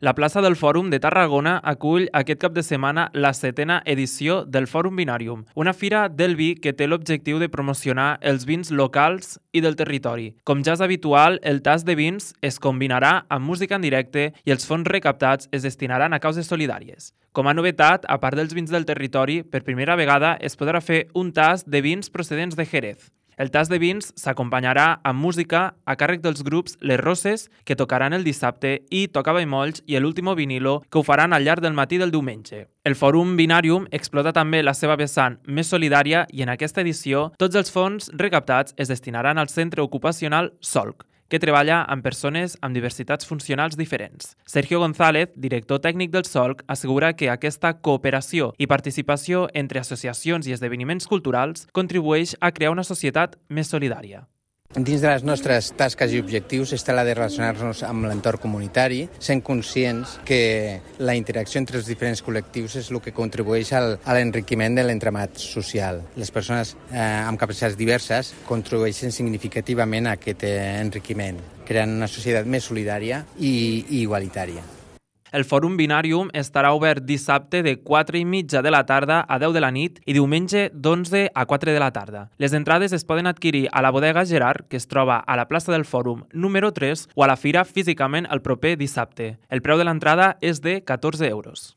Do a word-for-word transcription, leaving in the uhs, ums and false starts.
La plaça del Fòrum de Tarragona acull aquest cap de setmana la setena edició del Fòrum Vinàrium, una fira del vi que té l'objectiu de promocionar els vins locals i del territori. Com ja és habitual, el tast de vins es combinarà amb música en directe i els fons recaptats es destinaran a causes solidàries. Com a novetat, a part dels vins del territori, per primera vegada es podrà fer un tast de vins procedents de Jerez. El tast de vins s'acompanyarà amb música a càrrec dels grups Les Roses, que tocaran el dissabte, i Toca Molls i l'Último Vinilo, que ho faran al llarg del matí del diumenge. El Fòrum Vinàrium explota també la seva vessant més solidària i en aquesta edició tots els fons recaptats es destinaran al centre ocupacional Solc, que treballa amb persones amb diversitats funcionals diferents. Sergio González, director tècnic del Solc, assegura que aquesta cooperació i participació entre associacions i esdeveniments culturals contribueix a crear una societat més solidària. Dins de les nostres tasques i objectius està la de relacionar-nos amb l'entorn comunitari, sent conscients que la interacció entre els diferents col·lectius és el que contribueix al, a l'enriquiment de l'entramat social. Les persones eh, amb capacitats diverses contribueixen significativament a aquest eh, enriquiment, creant una societat més solidària i, i igualitària. El Fòrum Vinàrium estarà obert dissabte de quatre i mitja de la tarda a deu de la nit i diumenge d'onze a quatre de la tarda. Les entrades es poden adquirir a la bodega Gerard, que es troba a la plaça del Fòrum número tres, o a la fira físicament el proper dissabte. El preu de l'entrada és de catorze euros.